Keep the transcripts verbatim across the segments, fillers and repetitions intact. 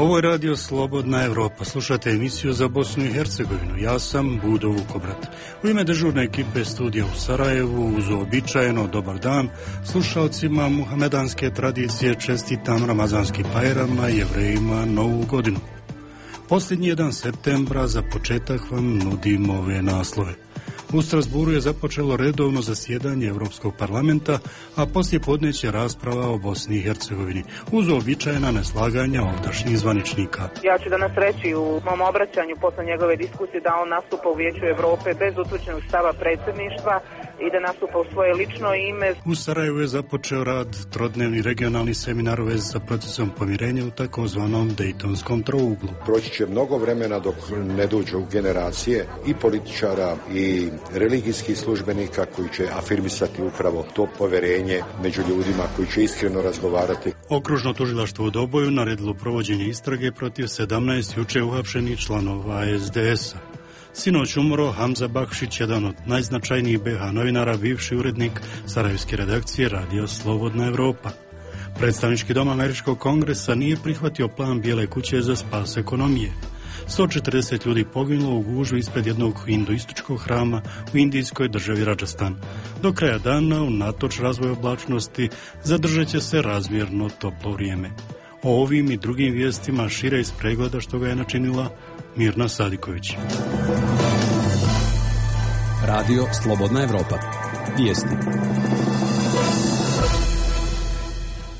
Ovo je radio Slobodna Evropa. Slušate emisiju za Bosnu i Hercegovinu. Ja sam Budo Vukobrat. U ime dežurne ekipe studija u Sarajevu uz uobičajeno dobar dan slušalcima muhamedanske tradicije čestitam Ramazanski Bajram, a Jevrejima Novu godinu. Posljednji jedan septembra za početak vam nudim ove naslove. U Strasburu je započelo redovno zasjedanje Europskog parlamenta, a poslije podneće rasprava o Bosni i Hercegovini, uz uobičajena neslaganja ovdašnjih zvaničnika. Ja ću danas reći u mom obraćanju posle njegove diskusije da on nastupa u Vijeću Evrope bez utvrđenog stava predsjedništva i da nastupa u svoje lično ime. U Sarajevu je započeo rad trodnevni regionalni seminar u vezi sa procesom pomirenja u takozvanom Dejtonskom trouglu. Proći će mnogo vremena dok ne dođu generacije i političara i religijskih službenika koji će afirmisati upravo to poverenje među ljudima koji će iskreno razgovarati. Okružno tužilaštvo u Doboju naredilo provođenje istrage protiv sedamnaest juče uhapšenih članova es de es a. Sinoć umro Hamza Bakšić, jedan od najznačajnijih be ha novinara, bivši urednik sarajevske redakcije Radio Slobodna Evropa. Predstavnički dom Američkog kongresa nije prihvatio plan Bijele kuće za spas ekonomije. sto četrdeset ljudi poginulo u gužvi ispred jednog hinduističkog hrama u indijskoj državi Radžastan. Do kraja dana, unatoč razvoju oblačnosti, zadržat će se razmjerno toplo vrijeme. O ovim i drugim vijestima šire iz pregleda što ga je načinila Mirna Sadiković. Radio Slobodna Evropa. Vijesti.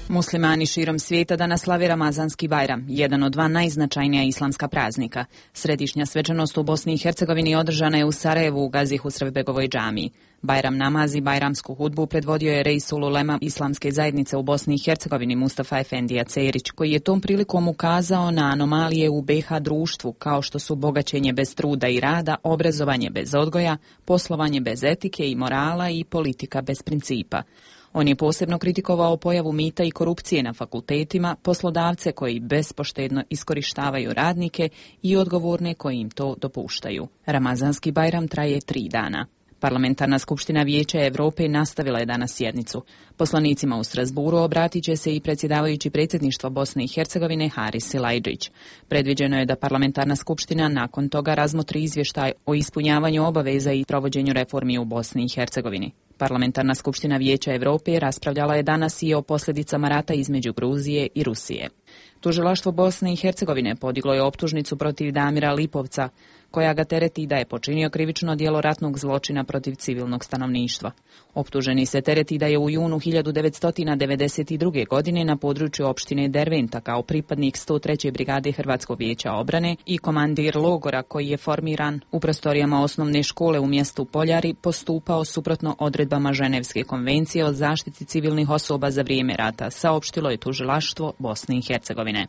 Muslimani širom svijeta danas slave Ramazanski Bajram, jedan od dva najznačajnija islamska praznika. Središnja svečanost u Bosni i Hercegovini održana je u Sarajevu u Gazi Husrevbegovoj džamiji. Bajram namaz i bajramsku hudbu predvodio je Reisul Ulema islamske zajednice u Bosni i Hercegovini Mustafa Efendija Cerić, koji je tom prilikom ukazao na anomalije u be ha društvu, kao što su bogaćenje bez truda i rada, obrazovanje bez odgoja, poslovanje bez etike i morala i politika bez principa. On je posebno kritikovao pojavu mita i korupcije na fakultetima, poslodavce koji bespoštedno iskorištavaju radnike i odgovorne koji im to dopuštaju. Ramazanski Bajram traje tri dana. Parlamentarna skupština Vijeća Evrope nastavila je danas sjednicu. Poslanicima u Strasburu obratit će se i predsjedavajući predsjedništva Bosne i Hercegovine Haris Silajdžić. Predviđeno je da parlamentarna skupština nakon toga razmotri izvještaj o ispunjavanju obaveza i provođenju reformi u Bosni i Hercegovini. Parlamentarna skupština Vijeća Evrope raspravljala je danas i o posljedicama rata između Gruzije i Rusije. Tužilaštvo Bosne i Hercegovine podiglo je optužnicu protiv Damira Lipovca, koja ga tereti da je počinio krivično djelo ratnog zločina protiv civilnog stanovništva. Optuženi se tereti da je u junu hiljadu devetsto devedeset druge. godine na području opštine Derventa kao pripadnik sto treće brigade Hrvatskog vijeća obrane i komandir logora koji je formiran u prostorijama osnovne škole u mjestu Poljari postupao suprotno odredbama Ženevske konvencije o zaštiti civilnih osoba za vrijeme rata, saopštilo je tužilaštvo Bosne i Hercegovine.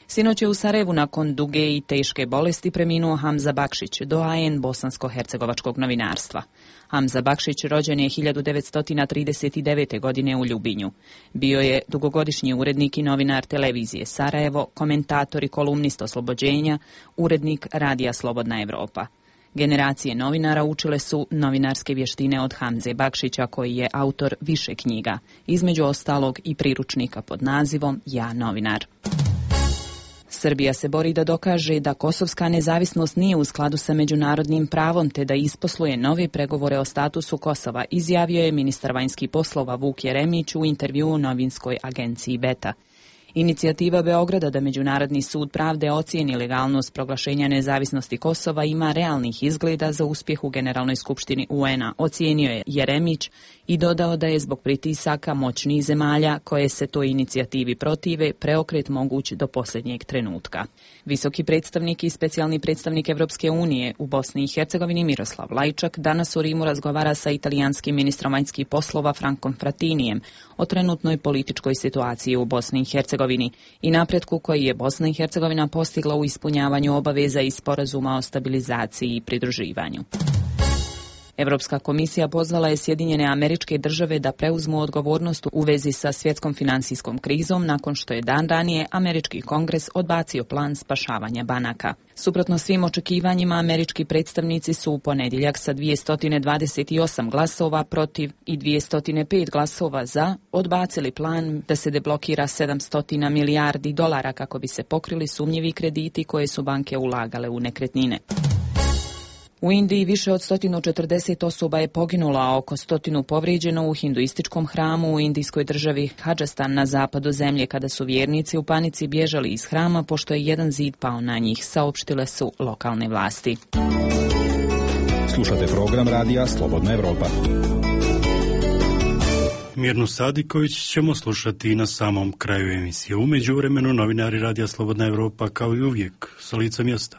Sinoć je u Sarajevu nakon duge i teške bolesti preminuo Hamza Bakšić, doajen bosansko-hercegovačkog novinarstva. Hamza Bakšić rođen je hiljadu devetsto trideset devete. godine u Ljubinju. Bio je dugogodišnji urednik i novinar televizije Sarajevo, komentator i kolumnist Oslobođenja, urednik Radija Slobodna Evropa. Generacije novinara učile su novinarske vještine od Hamze Bakšića, koji je autor više knjiga, između ostalog i priručnika pod nazivom Ja novinar. Srbija se bori da dokaže da kosovska nezavisnost nije u skladu sa međunarodnim pravom te da isposluje nove pregovore o statusu Kosova, izjavio je ministar vanjskih poslova Vuk Jeremić u intervjuu novinskoj agenciji Beta. Inicijativa Beograda da Međunarodni sud pravde ocijeni legalnost proglašenja nezavisnosti Kosova ima realnih izgleda za uspjeh u Generalnoj skupštini u en a, ocijenio je Jeremić i dodao da je zbog pritisaka moćnih zemalja koje se toj inicijativi protive preokret moguć do posljednjeg trenutka. Visoki predstavnik i specijalni predstavnik Evropske unije u Bosni i Hercegovini Miroslav Lajčak danas u Rimu razgovara sa italijanskim ministrom vanjskih poslova Frankom Fratinijem o trenutnoj političkoj situaciji u Bosni i Hercegovini i napretku koji je Bosna i Hercegovina postigla u ispunjavanju obaveza iz sporazuma o stabilizaciji i pridruživanju. Europska komisija pozvala je Sjedinjene Američke Države da preuzmu odgovornost u vezi sa svjetskom financijskom krizom nakon što je dan ranije Američki kongres odbacio plan spašavanja banaka. Suprotno svim očekivanjima, američki predstavnici su u ponedjeljak sa dvjesto dvadeset osam glasova protiv i dvjesto pet glasova za odbacili plan da se deblokira sedamsto milijardi dolara kako bi se pokrili sumnjivi krediti koje su banke ulagale u nekretnine. U Indiji više od sto četrdeset osoba je poginulo, a oko stotinu povrijeđeno u hinduističkom hramu u indijskoj državi Hadžastan na zapadu zemlje kada su vjernici u panici bježali iz hrama pošto je jedan zid pao na njih, saopštile su lokalne vlasti. Slušate program radija Slobodna Evropa. Mirnu Sadiković ćemo slušati na samom kraju emisije. U međuvremenu novinari radija Slobodna Evropa kao i uvijek sa lica mjesta.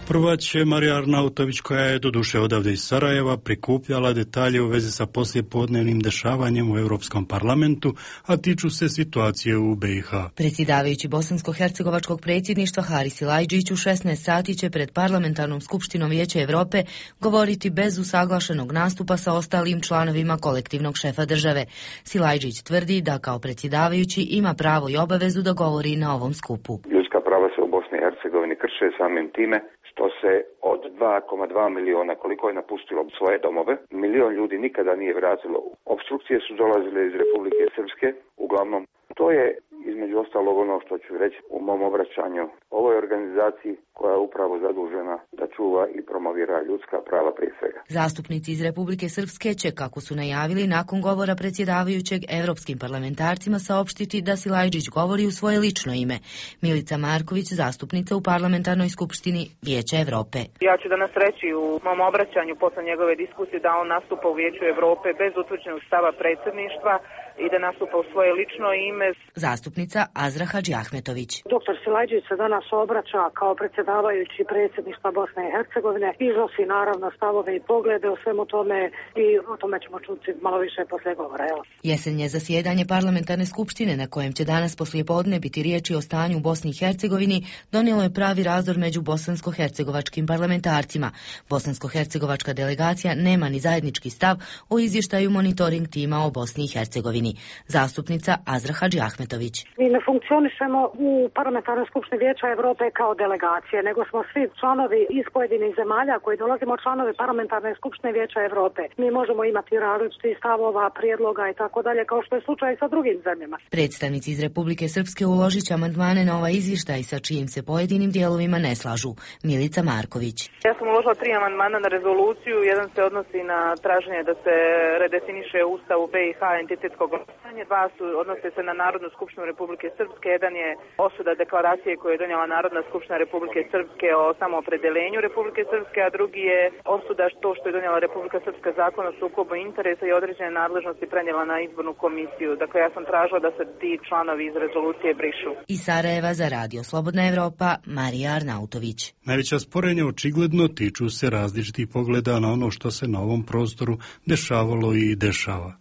Prva će Marija Arnautović, koja je doduše odavde iz Sarajeva prikupljala detalje u vezi sa poslijepodnevnim dešavanjem u Europskom parlamentu, a tiču se situacije u B i H. Predsjedavajući bosansko-hercegovačkog predsjedništva Haris Silajdžić u šesnaest sati će pred parlamentarnom skupštinom Vijeća Europe govoriti bez usaglašenog nastupa sa ostalim članovima kolektivnog šefa države. Silajdžić tvrdi da kao predsjedavajući ima pravo i obavezu da govori na ovom skupu. Ljudska prava se u Bosni i Hercegovini krše samim time što se od dva zarez dva miliona koliko je napustilo svoje domove, milion ljudi nikada nije vratilo. Opstrukcije su dolazile iz Republike Srpske, uglavnom. To je između ostalog ono što ću reći u mom obraćanju ovoj organizaciji koja je upravo zadužena da čuva i promovira ljudska prava prije svega. Zastupnici iz Republike Srpske će, kako su najavili, nakon govora predsjedavajućeg evropskim parlamentarcima saopštiti da Silajdžić govori u svoje lično ime. Milica Marković, zastupnica u parlamentarnoj skupštini Vijeća Evrope. Ja ću danas reći u mom obraćanju posle njegove diskusije da on nastupa u Vijeću Evrope bez utvrđenog stava predsjedništva i da nastupa u svoje lično ime. Zastupnica Azra Hadžiahmetović. Doktor Silajdžić se danas obraća kao predsjedavajući predsjedništva Bosne i Hercegovine, iznosi naravno stavove i poglede o svemu tome i o tome ćemo čuti malo više poslije govora. Evo. Jesenje zasjedanje parlamentarne skupštine na kojem će danas poslijepodne biti riječi o stanju u Bosni i Hercegovini donijelo je pravi razdor među bosansko-hercegovačkim parlamentarcima. Bosansko-hercegovačka delegacija nema ni zajednički stav o izvještaju monitoring tima o Bosni i Hercegovini. Zastupnica Azra Hadžiahmetović. Mi ne funkcionišemo u parlamentarnoj skupštini Vijeća Europe kao delegacije, nego smo svi članovi iz pojedinih zemalja koji dolazimo članovi parlamentarne skupštine Vijeća Europe. Mi možemo imati različiti stavova, prijedloga i tako dalje, kao što je slučaj sa drugim zemljama. Predstavnici iz Republike Srpske uložit će amandmane na ovaj izvještaj sa čijim se pojedinim dijelovima ne slažu. Milica Marković. Ja sam uložila tri amandmana na rezoluciju. Jedan se odnosi na traženje da se redefiniše ustav u B i H entitetskog glasanja. Dva su odnose se na Narodnu skupštinu Republike Srpske. Jedan je osuda deklaracije koju je donijela Narodna skupština Republike Srpske o samoopredeljenju Republike Srpske, a drugi je osuda to što je donijela Republika Srpska zakon o sukobu interesa i određene nadležnosti prenijela na izbornu komisiju. Dakle, ja sam tražila da se ti članovi iz rezolucije brišu. Iz Sarajeva za Radio Slobodna Evropa, Marija Arnautović. Najveća sporenja očigledno tiču se različitih pogleda na ono što se na ovom prostoru dešavalo i dešava.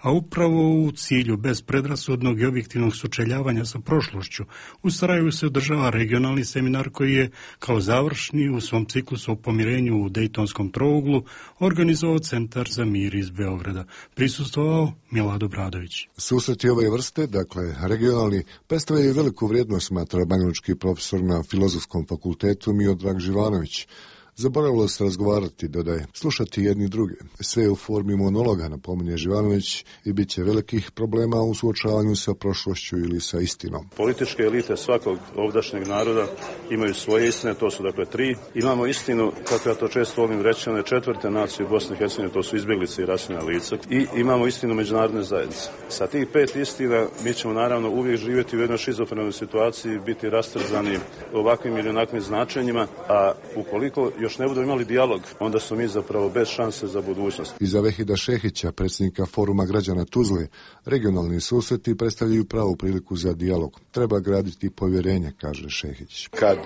A upravo u cilju bez predrasudnog i objektivnog sučeljavanja sa prošlošću, u Sarajevu se održava regionalni seminar koji je kao završni u svom ciklusu o pomirenju u Dejtonskom trouglu organizovao Centar za mir iz Beograda. Prisustvovao Milad Obradović. Susreti ove vrste, dakle regionalni, predstavljaju veliku vrijednost, smatra banjalučki profesor na Filozofskom fakultetu Miodrag Živanović. Zaboravilo se razgovarati, dodaje, slušati jedni druge. Sve u formi monologa, napominje Živanović, i bit će velikih problema u suočavanju sa prošlošću ili sa istinom. Političke elite svakog ovdašnjeg naroda imaju svoje istine, to su dakle tri. Imamo istinu, kako ja to često volim reći, one četvrte nacije u Bosni i Hercegovini, to su izbjeglice i raseljena lica. I imamo istinu međunarodne zajednice. Sa tih pet istina mi ćemo naravno uvijek živjeti u jednoj šizofrenoj situaciji, biti rastrzani ovakvim ili onakvim značenjima, a ukoliko još ne budemo imali dijalog, onda su mi zapravo bez šanse za budućnost. Iza Vehida Šehića, predsjednika Foruma građana Tuzle, regionalni susreti predstavljaju pravu priliku za dijalog. Treba graditi povjerenje, kaže Šehić. Kad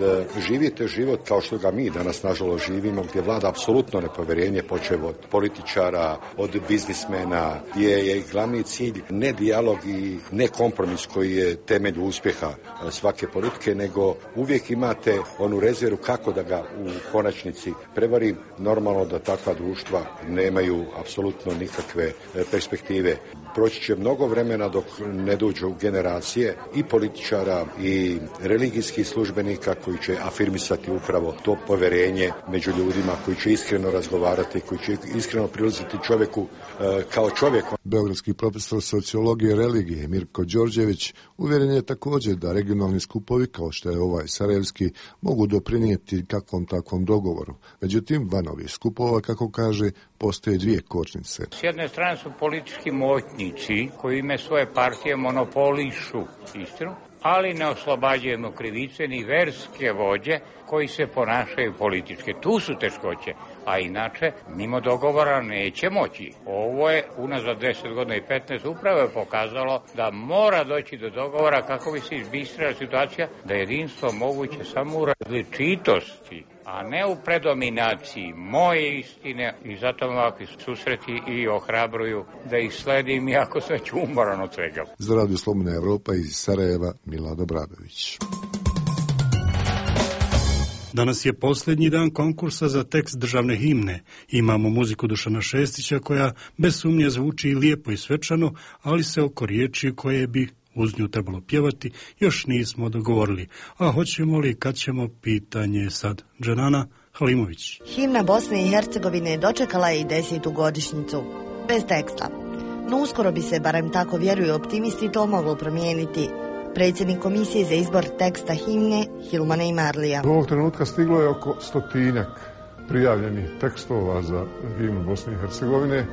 živite život kao što ga mi danas nažalost živimo, gdje vlada apsolutno nepovjerenje, počev od političara, od biznismena, gdje je glavni cilj ne dijalog i ne kompromis koji je temelj uspjeha svake politike, nego uvijek imate onu rezervu kako da ga u konačnici zajednici prevari, normalno da takva društva nemaju apsolutno nikakve perspektive. Proći će mnogo vremena dok ne dođu generacije i političara i religijskih službenika koji će afirmisati upravo to poverenje među ljudima, koji će iskreno razgovarati, koji će iskreno prilaziti čovjeku e, kao čovjeku. Beogradski profesor sociologije i religije Mirko Đorđević uvjeren je također da regionalni skupovi kao što je ovaj sarajevski mogu doprinijeti kakvom takvom dogovoru. Međutim, van ovih skupova, kako kaže, postoje dvije kočnice. S jedne strane su politički moćnici koji ime svoje partije monopolišu istinu, ali ne oslobađaju krivice ni verske vođe koji se ponašaju politički. Tu su teškoće, a inače mimo dogovora neće moći. Ovo je unazad deset godina i petnaest upravo je pokazalo da mora doći do dogovora kako bi se izbistrila situacija, da je jedinstvo moguće samo u različitosti, a ne u predominaciji moje istine, i zato me ovakvi susreti i ohrabruju da ih sledim, iako sam ću umoran od svega. Za Radio Slobodna Evropa iz Sarajeva, Milad Obradović. Danas je posljednji dan konkursa za tekst državne himne. Imamo muziku Dušana Šestića koja bez sumnje zvuči lijepo i svečano, ali se oko riječi koje bi uz nju trebalo pjevati još nismo dogovorili. A hoćemo li, kad ćemo, pitanje sad. Dženana Halimović. Himna Bosne i Hercegovine dočekala je i desetu godišnjicu. Bez teksta. No uskoro bi se, barem tako vjeruju optimisti, to moglo promijeniti. Predsjednik komisije za izbor teksta himne Hilmana Imarlija. Do ovog trenutka stiglo je oko stotinjak prijavljenih tekstova za himnu Bosne i Hercegovine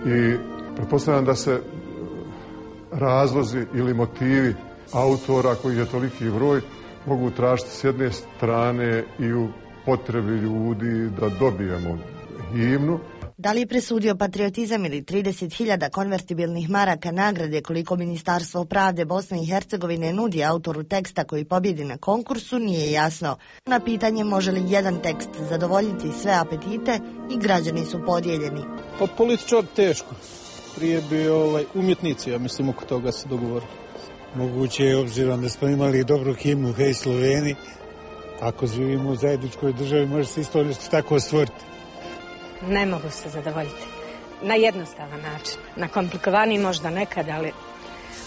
i pretpostavljam da se razlozi ili motivi autora, koji je toliki broj, mogu tražiti s jedne strane i u potrebi ljudi da dobijemo himnu. Da li je presudio patriotizam ili trideset hiljada konvertibilnih maraka nagrade koliko Ministarstvo pravde Bosne i Hercegovine nudi autoru teksta koji pobjedi na konkursu, nije jasno. Na pitanje može li jedan tekst zadovoljiti sve apetite, i građani su podijeljeni. Pa političar teško. Prije bi ovaj, umjetnici, ja mislim, oko toga se dogovorili. Moguće je, obzirom da smo imali dobru himnu Hej Sloveni, ako živimo u zajedničkoj državi, može se isto nešto tako stvoriti. Ne mogu se zadovoljiti. Na jednostavan način. Na komplikovaniji možda nekad, ali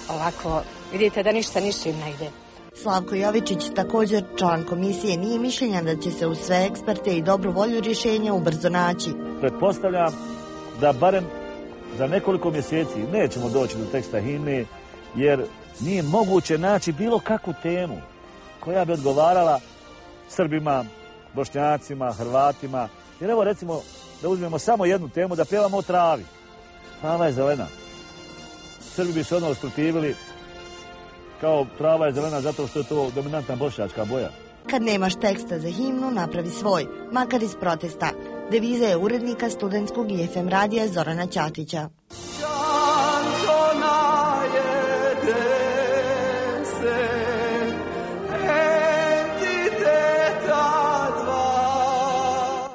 ovako vidite da ništa ništa ne ide. Slavko Jovičić, također član komisije, nije mišljenja da će se uz sve eksperte i dobru volju rješenja ubrzo naći. Pretpostavljam da barem za nekoliko mjeseci nećemo doći do teksta himne, jer nije moguće naći bilo kakvu temu koja bi odgovarala Srbima, Bošnjacima, Hrvatima. Jer evo recimo da uzmemo samo jednu temu, da pjevamo o travi. Trava je zelena. Srbi bi se odmah usprotivili kao trava je zelena zato što je to dominantna bošnjačka boja. Kad nemaš teksta za himnu, napravi svoj, makar iz protesta. Deviza je urednika studentskog i F M radija Zorana Ćatića.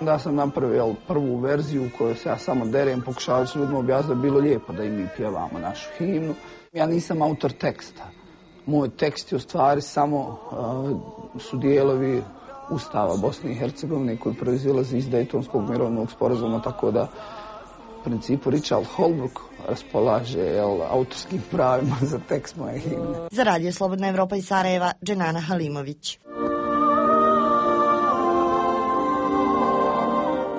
Da sam napravio prvu verziju u kojoj se ja samo derem, pokušavali su ljudima objasniti da bi bilo lijepo da i mi pjevamo našu himnu. Ja nisam autor teksta. Moj tekst je u stvari samo uh, su dijelovi Ustava Bosne i Hercegovine koji proizilazi iz Dejtonskog mirovnog sporazuma, tako da u principu Richard Holbrooke raspolaže jel, autorskim pravima za tekst moje himne. Za Radio Slobodna Evropa iz Sarajeva, Dženana Halimović.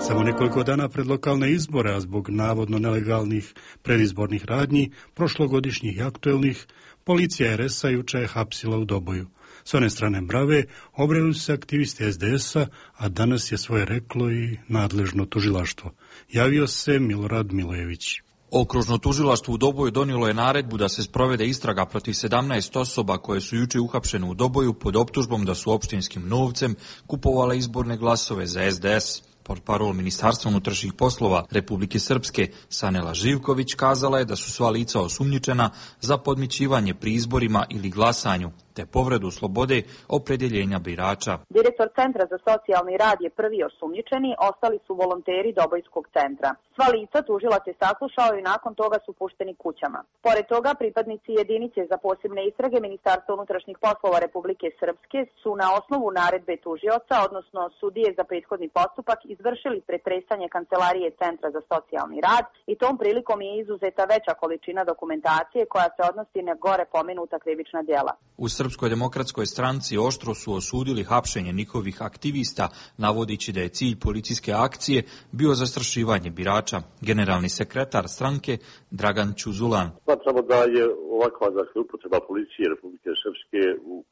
Samo nekoliko dana pred lokalne izbore, a zbog navodno nelegalnih predizbornih radnji, prošlogodišnjih i aktuelnih, policija er es a juče je hapsila u Doboju. S one strane Brave obreli su se aktivisti es de es a, a danas je svoje reklo i nadležno tužilaštvo. Javio se Milorad Milojević. Okružno tužilaštvo u Doboju donijelo je naredbu da se sprovede istraga protiv sedamnaest osoba koje su juče uhapšene u Doboju pod optužbom da su opštinskim novcem kupovale izborne glasove za es de es. Portparol Ministarstva unutrašnjih poslova Republike Srpske Sanela Živković kazala je da su sva lica osumnjičena za podmićivanje pri izborima ili glasanju, te povredu slobode opredjeljenja birača. Direktor Centra za socijalni rad je prvi osumnjičeni, ostali su volonteri Dobojskog centra. Sva lica tužilac je saslušao i nakon toga su pušteni kućama. Pored toga, pripadnici jedinice za posebne istrage Ministarstva unutrašnjih poslova Republike Srpske su na osnovu naredbe tužioca, odnosno sudije za prethodni postupak, izvršili pretresanje kancelarije Centra za socijalni rad i tom prilikom je izuzeta veća količina dokumentacije koja se odnosi na gore pomenuta krivična djela. U Srpskoj demokratskoj stranci oštro su osudili hapšenje njihovih aktivista, navodići da je cilj policijske akcije bio zastrašivanje birača. Generalni sekretar stranke Dragan Čuzulan. Smatramo da je ovakva dakle, upotreba policije Republike Srpske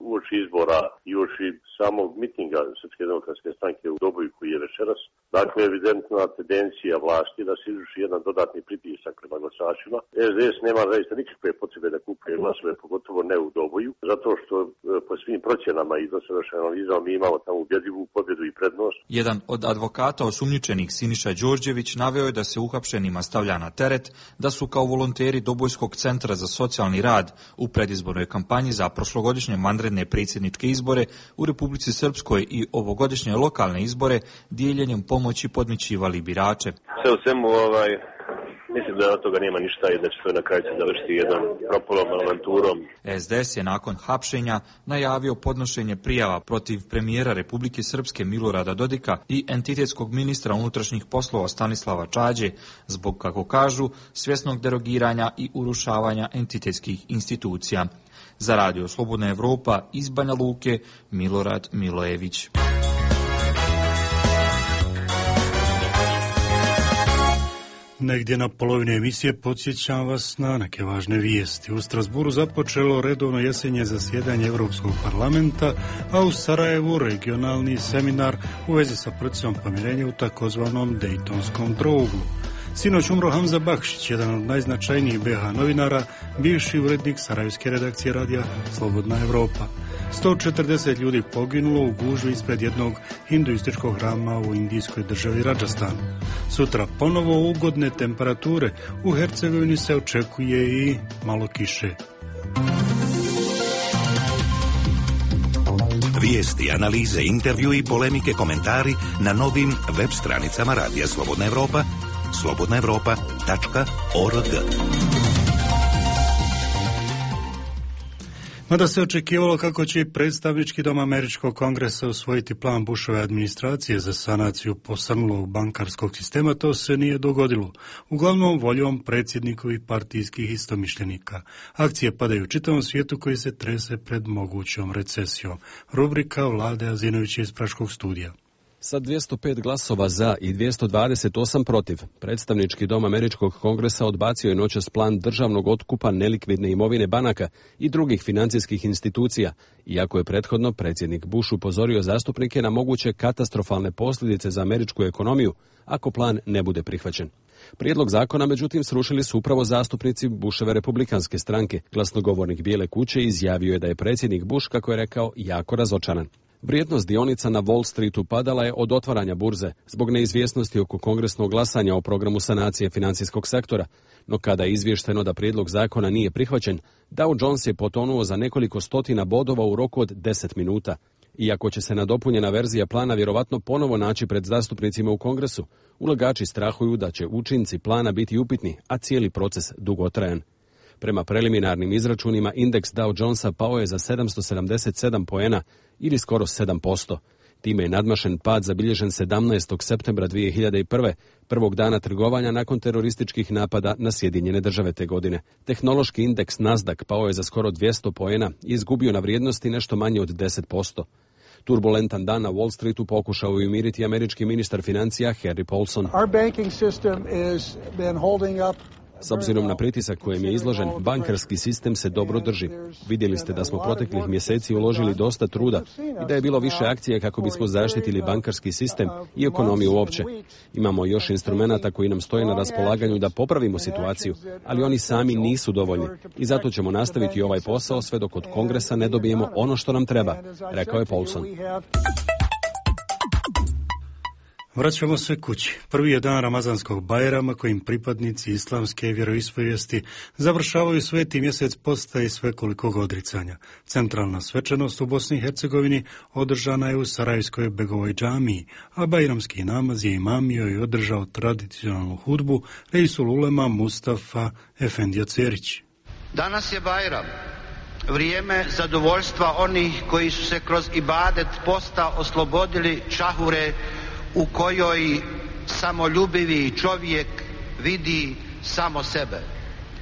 uoči izbora i uoči samog mitinga Srpske demokratske stranke u Doboju koji je večeras, dakle evidentna tendencija vlasti da se izvrši jedan dodatni pritisak prema glasačima. es de es nema zaista nikakve potrebe da kupuje glasove, pogotovo ne u Doboju, zato što po svim procjenama i dosadašnjim analizama mi imamo tamo ubjedljivu pobjedu i prednost. Jedan od advokata osumnjičenih, Siniša Đorđević, naveo je da se uhapšenima stavlja na teret da su kao volonteri Dobojskog centra za socijalni rad u predizbornoj kampanji za prošlogodišnje vanredne predsjedničke izbore u Republici Srpskoj i ovogodišnje lokalne izbore dijeljenjem pomoći podmićivali birače. Sve u svemu, ovaj, mislim da od toga nema ništa i da će to na kraju završiti jednom propolom avanturom. es de es je nakon hapšenja najavio podnošenje prijava protiv premijera Republike Srpske Milorada Dodika i entitetskog ministra unutrašnjih poslova Stanislava Čađe zbog, kako kažu, svjesnog derogiranja i urušavanja entitetskih institucija. Za Radio Slobodna Evropa iz Banja Luke, Milorad Milojević. Negdje na polovini emisije podsjećam vas na neke važne vijesti. U Strasburu započelo redovno jesenje zasjedanje Europskog parlamenta, a u Sarajevu regionalni seminar u vezi sa procesom pomirenja u takozvanom Dejtonskom trouglu. Sinoć umro Hamza Bakšić, jedan od najznačajnijih be ha novinara, bivši urednik sarajevske redakcije radija Slobodna Evropa. sto četrdeset ljudi poginulo u gužvi ispred jednog hinduističkog hrama u indijskoj državi Radžastanu. Sutra ponovo ugodne temperature, u Hercegovini se očekuje i malo kiše. Vijesti, analize, intervju i polemike, komentari na novim web stranicama Radija Slobodna Evropa, slobodna evropa tačka org. Mada se očekivalo kako će i predstavnički dom Američkog kongresa usvojiti plan Bushove administracije za sanaciju posrnulog bankarskog sistema, to se nije dogodilo. Uglavnom voljom predsjednikovih partijskih istomišljenika. Akcije padaju u čitavom svijetu koji se trese pred mogućom recesijom. Rubrika Vlade Azinovića iz Praškog studija. Sa dvjesto pet glasova za i dvjesto dvadeset osam protiv, predstavnički dom Američkog kongresa odbacio je noćas plan državnog otkupa nelikvidne imovine banaka i drugih financijskih institucija, iako je prethodno predsjednik Bush upozorio zastupnike na moguće katastrofalne posljedice za američku ekonomiju ako plan ne bude prihvaćen. Prijedlog zakona, međutim, srušili su upravo zastupnici Bushove republikanske stranke. Glasnogovornik Bijele kuće izjavio je da je predsjednik Bush, kako je rekao, jako razočaran. Vrijednost dionica na Wall Streetu padala je od otvaranja burze zbog neizvjesnosti oko kongresnog glasanja o programu sanacije financijskog sektora, no kada je izvješteno da prijedlog zakona nije prihvaćen, Dow Jones je potonuo za nekoliko stotina bodova u roku od deset minuta. Iako će se nadopunjena verzija plana vjerovatno ponovo naći pred zastupnicima u kongresu, ulagači strahuju da će učinci plana biti upitni, a cijeli proces dugotrajan. Prema preliminarnim izračunima, indeks Dow Jonesa pao je za sedamsto sedamdeset sedam poena ili skoro sedam posto. Time je nadmašen pad zabilježen sedamnaestog septembra dvije hiljade prve, prvog dana trgovanja nakon terorističkih napada na Sjedinjene države te godine. Tehnološki indeks Nasdaq pao je za skoro dvjesto poena i izgubio na vrijednosti nešto manje od deset posto. Turbulentan dan na Wall Streetu pokušao je umiriti američki ministar financija Harry Paulson. Our banking system is been holding up. S obzirom na pritisak kojem je izložen, bankarski sistem se dobro drži. Vidjeli ste da smo proteklih mjeseci uložili dosta truda i da je bilo više akcije kako bismo zaštitili bankarski sistem i ekonomiju uopće. Imamo još instrumenata koji nam stoje na raspolaganju da popravimo situaciju, ali oni sami nisu dovoljni i zato ćemo nastaviti ovaj posao sve dok od Kongresa ne dobijemo ono što nam treba, rekao je Paulson. Vraćamo se kući. Prvi je dan Ramazanskog Bajrama kojim pripadnici islamske vjeroispovijesti završavaju sveti mjesec posta i svekolikog odricanja. Centralna svečanost u Bosni i Hercegovini održana je u Sarajevskoj Begovoj džamiji, a bajramski namaz je imamio i održao tradicionalnu hudbu Reisul Ulema Mustafa Efendija Cerić. Danas je Bajram, vrijeme zadovoljstva onih koji su se kroz ibadet posta oslobodili čahure u kojoj samoljubivi čovjek vidi samo sebe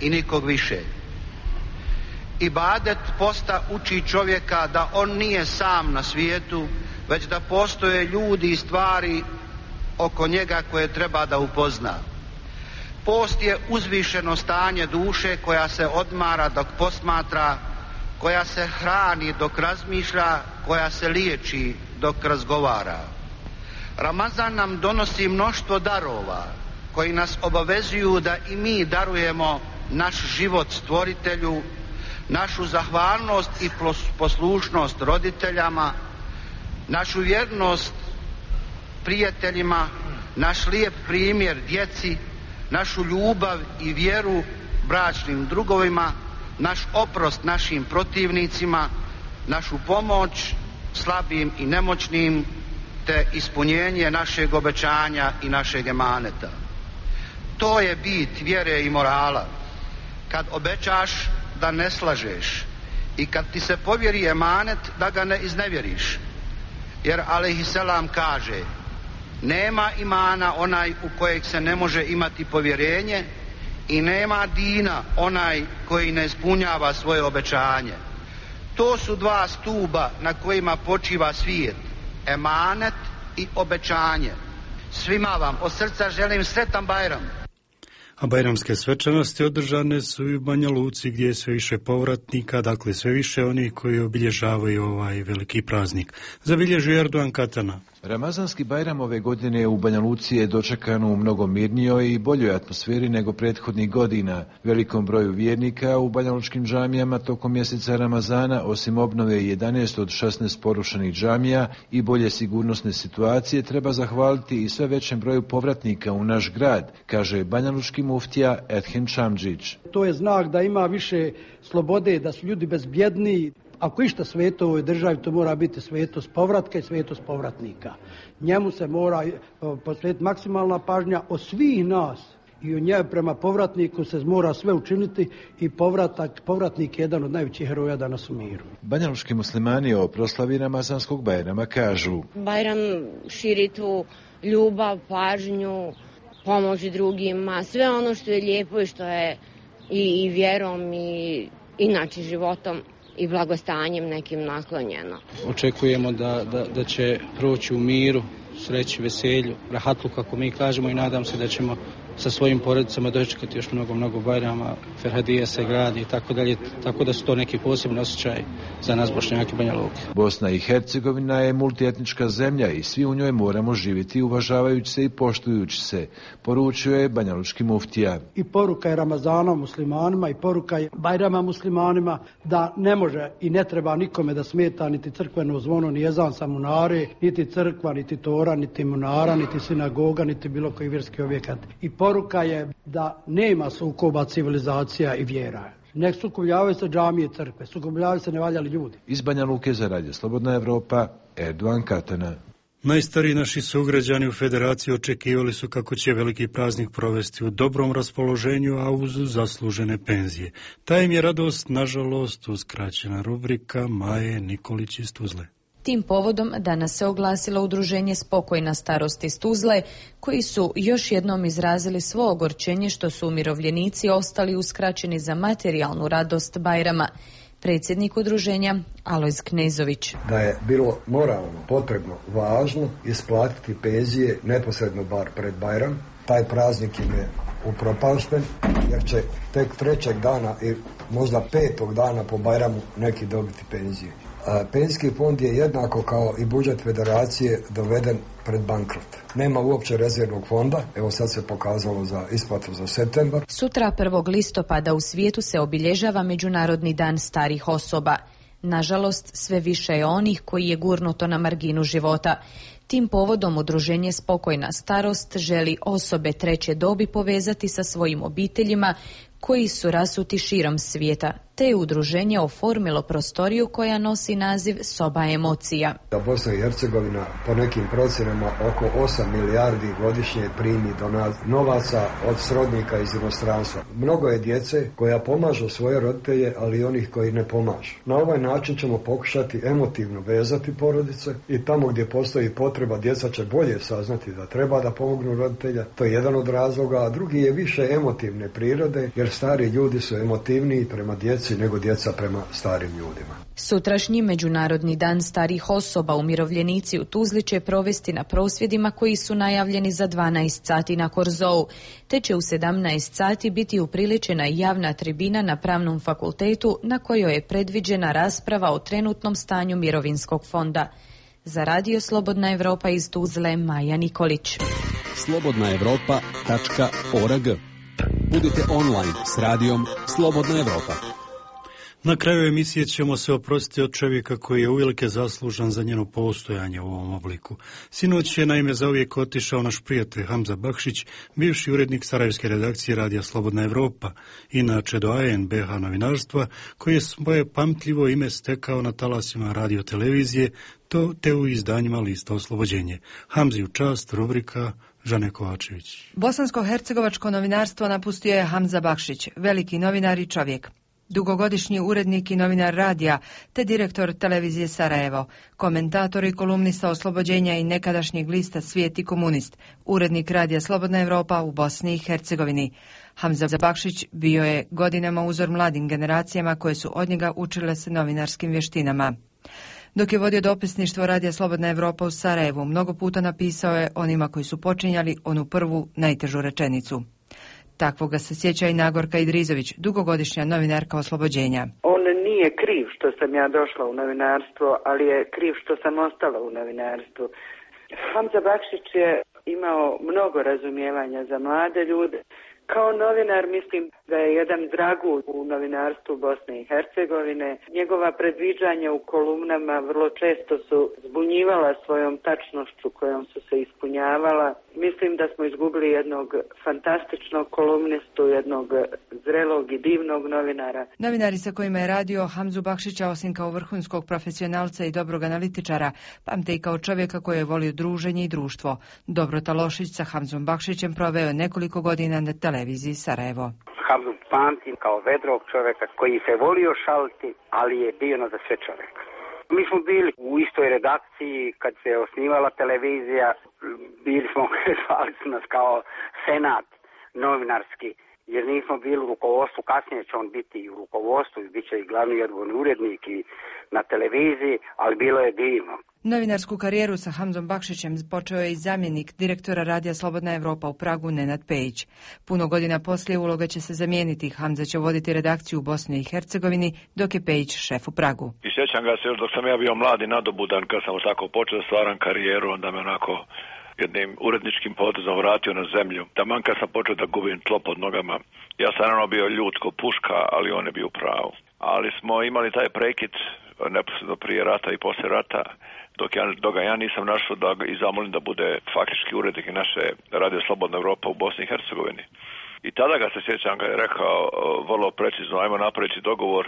i nikog više. Ibadet posta uči čovjeka da on nije sam na svijetu, već da postoje ljudi i stvari oko njega koje treba da upozna. Post je uzvišeno stanje duše koja se odmara dok posmatra, koja se hrani dok razmišlja, koja se liječi dok razgovara. Ramazan nam donosi mnoštvo darova koji nas obavezuju da i mi darujemo naš život stvoritelju, našu zahvalnost i poslušnost roditeljama, našu vjernost prijateljima, naš lijep primjer djeci, našu ljubav i vjeru bračnim drugovima, naš oprost našim protivnicima, našu pomoć slabim i nemoćnim, te ispunjenje našeg obećanja i našeg emaneta. To je bit vjere i morala. Kad obećaš da ne slažeš i kad ti se povjeri emanet da ga ne iznevjeriš. Jer alejhiselam kaže: nema imana onaj u kojeg se ne može imati povjerenje i nema dina onaj koji ne ispunjava svoje obećanje. To su dva stuba na kojima počiva svijet, emanet i obećanje. Svima vam od srca želim sretan Bajram. A bajramske svečanosti održane su i u Banja Luci gdje je sve više povratnika, dakle sve više onih koji obilježavaju ovaj veliki praznik. Zabilježuje Erdogan Katana. Ramazanski Bajram ove godine u Banja Luci je dočekan u mnogo mirnijoj i boljoj atmosferi nego prethodnih godina. Velikom broju vjernika u banjalučkim džamijama tokom mjeseca Ramazana, osim obnove jedanaest od šesnaest porušenih džamija i bolje sigurnosne situacije, treba zahvaliti i sve većem broju povratnika u naš grad, kaže banjalučki muftija Edhem Čamdžić. To je znak da ima više slobode, da su ljudi bezbjedniji. Ako išta sveto u ovoj državi, to mora biti svetost povratka i svetost povratnika. Njemu se mora posvetiti maksimalna pažnja od svih nas i u njemu prema povratniku se mora sve učiniti i povratak, povratnik je jedan od najvećih heroja danas u miru. Banjalučki muslimani o proslavi Ramazanskog Bajrama kažu: Bajram širi tu ljubav, pažnju, pomoć drugima, sve ono što je lijepo i što je i, i vjerom i inače životom i blagostanjem nekim naklonjeno. Očekujemo da, da, da će proći u miru, sreći, veselju, rahatlu kako mi kažemo, i nadam se da ćemo sa svojim porodicama dočekati još mnogo, mnogo Bajrama, Ferhadija se gradi i tako dalje, tako da su to neki posebni osjećaj za nas Bošnjake Banja Luke. Bosna i Hercegovina je multietnička zemlja i svi u njoj moramo živjeti uvažavajući se i poštujući se, poručio je banjalučki muftija. I poruka je Ramazana muslimanima i poruka je Bajrama muslimanima da ne može i ne treba nikome da smeta niti crkveno zvono, ni ezan sa munare, niti crkva, niti tora, niti munara, niti sinagoga, niti bilo koji vjerski objekat. I poruka je da nema sukoba civilizacija i vjera. Ne sukobljavaju se džamije i crkve, sukobljavaju se nevaljali ljudi. Iz Banja Luke za Radio Slobodna Evropa, Erdogan Katana. Najstariji naši sugrađani u Federaciji očekivali su kako će veliki praznik provesti u dobrom raspoloženju, a uz zaslužene penzije. Ta im je radost, nažalost, uskraćena. Rubrika Maje Nikolić iz Tuzle. Tim povodom danas se oglasilo udruženje Spokojna starost iz Tuzle, koji su još jednom izrazili svo ogorčenje što su umirovljenici ostali uskraćeni za materijalnu radost Bajrama. Predsjednik udruženja Alojz Knezović. Da je bilo moralno, potrebno, važno isplatiti penzije neposredno bar pred Bajram. Taj praznik im je upropašten jer će tek trećeg dana i možda petog dana po Bajramu neki dobiti penzije. Penzijski fond je jednako kao i budžet federacije doveden pred bankrot. Nema uopće rezervnog fonda, evo sad se pokazalo za isplatu za septembar. Sutra prvog listopada u svijetu se obilježava Međunarodni dan starih osoba. Nažalost, sve više je onih koji je gurnuto na marginu života. Tim povodom udruženje Spokojna starost želi osobe treće dobi povezati sa svojim obiteljima koji su rasuti širom svijeta, te je udruženje oformilo prostoriju koja nosi naziv Soba emocija. Da Bosna i Hercegovina po nekim procjenama oko osam milijardi godišnje primi novaca od srodnika iz inostranstva. Mnogo je djece koja pomažu svoje roditelje, ali i onih koji ne pomažu. Na ovaj način ćemo pokušati emotivno vezati porodice i tamo gdje postoji potreba djeca će bolje saznati da treba da pomognu roditelja. To je jedan od razloga, a drugi je više emotivne prirode, jer stari ljudi su emotivniji prema djeci nego djeca prema starim ljudima. Sutrašnji Međunarodni dan starih osoba umirovljenici u Tuzli će provesti na prosvjedima koji su najavljeni za dvanaest sati na Korzou, te će u sedamnaest sati biti upriličena javna tribina na Pravnom fakultetu na kojoj je predviđena rasprava o trenutnom stanju mirovinskog fonda. Za Radio Slobodna Evropa iz Tuzle, Maja Nikolić. slobodna evropa tačka org. Budite online s radijom Slobodna Evropa. Na kraju emisije ćemo se oprostiti od čovjeka koji je uvelike zaslužan za njeno postojanje u ovom obliku. Sinoć je naime zauvijek otišao naš prijatelj Hamza Bakšić, bivši urednik sarajevske redakcije Radija Slobodna Evropa, inače doajen be ha novinarstva, koji je svoje pamtljivo ime stekao na talasima radiotelevizije, to te u izdanjima Lista Oslobođenje. Hamzi u čast, rubrika Žane Kovačević. Bosansko-hercegovačko novinarstvo napustio je Hamza Bakšić, veliki novinar i čovjek. Dugogodišnji urednik i novinar radija, te direktor televizije Sarajevo, komentator i kolumnista Oslobođenja i nekadašnjeg lista Svijet i komunist, urednik Radija Slobodna Evropa u Bosni i Hercegovini. Hamza Bakšić bio je godinama uzor mladim generacijama koje su od njega učile se novinarskim vještinama. Dok je vodio dopisništvo Radija Slobodna Evropa u Sarajevu, mnogo puta napisao je onima koji su počinjali onu prvu, najtežu rečenicu. Takvoga se sjeća i Nagorka Idrizović, dugogodišnja novinarka Oslobođenja. On nije kriv što sam ja došla u novinarstvo, ali je kriv što sam ostala u novinarstvu. Hamza Bakšić je imao mnogo razumijevanja za mlade ljude. Kao novinar mislim da je jedan dragulj u novinarstvu Bosne i Hercegovine. Njegova predviđanja u kolumnama vrlo često su zbunjivala svojom tačnošću kojom su se ispunjavala. Mislim da smo izgubili jednog fantastičnog kolumnistu, jednog zrelog i divnog novinara. Novinari sa kojima je radio Hamzu Bakšića, osim kao vrhunskog profesionalca i dobrog analitičara, pamte i kao čovjeka koji je volio druženje i društvo. Dobrota Lošić sa Hamzom Bakšićem proveo nekoliko godina na televiziji Sarajevo. Hamzu pamtim kao vedrog čovjeka koji se volio šaliti, ali je bio na za sve čovjek. Mi smo bili u istoj redakciji kad se osnivala televizija, bili smo, zvali su nas kao senat novinarski, jer nismo bili u rukovodstvu, kasnije će on biti i u rukovodstvu, bit će i glavni odgovorni urednik i na televiziji, ali bilo je divno. Novinarsku karijeru sa Hamzom Bakšićem počeo je i zamjenik direktora Radija Slobodna Evropa u Pragu Nenad Pejić. Puno godina poslije uloga će se zamijeniti. Hamza će voditi redakciju u Bosni i Hercegovini, dok je Pejić šef u Pragu. I sjećam ga se još dok sam ja bio mladi nadobudan, kad sam tako počeo stvaram karijeru, onda me onako jednim uredničkim potezom vratio na zemlju. Taman kad sam počeo da gubim tlo pod nogama, ja sam naravno bio ljud ko puška, ali on je bio pravo. Ali smo imali taj prekid neposredno prije rata i poslije rata, dok ja, dok ga ja nisam našao da ga i zamolim da bude faktički urednik naše Radio Slobodna Evropa u Bosni i Hercegovini. I tada ga se sjećam, ga je rekao vrlo precizno, ajmo napraviti dogovor,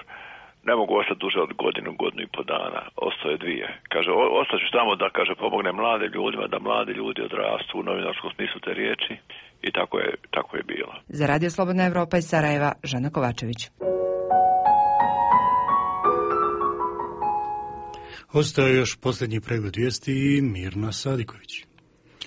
ne mogu ostati duže od godinu, godinu i po dana, ostaje dvije. Kaže, ostaću tamo da, kaže, pomogne mlade ljudima, da mladi ljudi odrastu u novinarskom smislu te riječi i tako je, tako je bilo. Za Radio Slobodna Evropa iz Sarajeva, Žana Kovačević. Ostaje još posljednji pregled vijesti i Mirna Sadiković.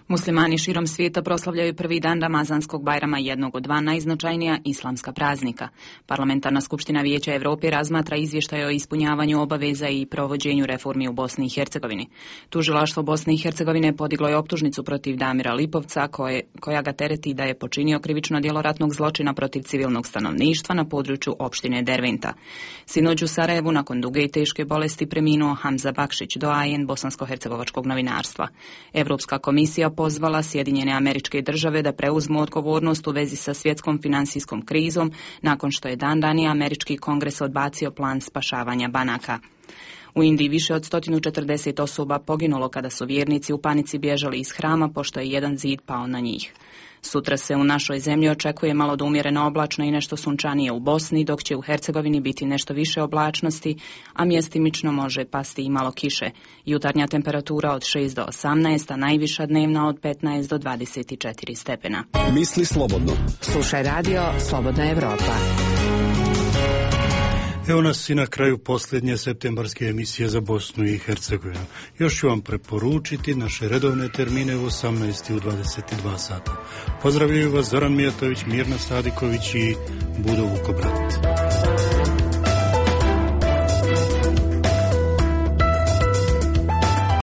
Muslimani širom svijeta proslavljaju prvi dan Ramazanskog Bajrama, jednog od dva najznačajnija islamska praznika. Parlamentarna skupština Vijeća Europe razmatra izvještaj o ispunjavanju obaveza i provođenju reformi u Bosni i Hercegovini. Tužilaštvo Bosne i Hercegovine podiglo je optužnicu protiv Damira Lipovca, koje, koja ga tereti da je počinio krivično djelo ratnog zločina protiv civilnog stanovništva na području opštine Derventa. Sinoć u Sarajevu nakon duge i teške bolesti preminuo Hamza Bakšić, doajen bosansko-hercegovačkog novinarstva. Europska komisija pozvala Sjedinjene Američke Države da preuzmu odgovornost u vezi sa svjetskom financijskom krizom nakon što je dan ranije Američki kongres odbacio plan spašavanja banaka. U Indiji više od sto četrdeset osoba poginulo kada su vjernici u panici bježali iz hrama pošto je jedan zid pao na njih. Sutra se u našoj zemlji očekuje malo do umjereno oblačno i nešto sunčanije u Bosni, dok će u Hercegovini biti nešto više oblačnosti, a mjestimično može pasti i malo kiše. Jutarnja temperatura od šest do osamnaest, a najviša dnevna od petnaest do dvadeset četiri stepena. Misli slobodno. Slušaj radio Slobodna Evropa. Evo nas i na kraju posljednje septembarske emisije za Bosnu i Hercegovinu. Još ću vam preporučiti naše redovne termine u osamnaest i u dvadeset dva sata. Pozdravljaju vas Zoran Mijatović, Mirna Stadiković i Budo Vukobrat.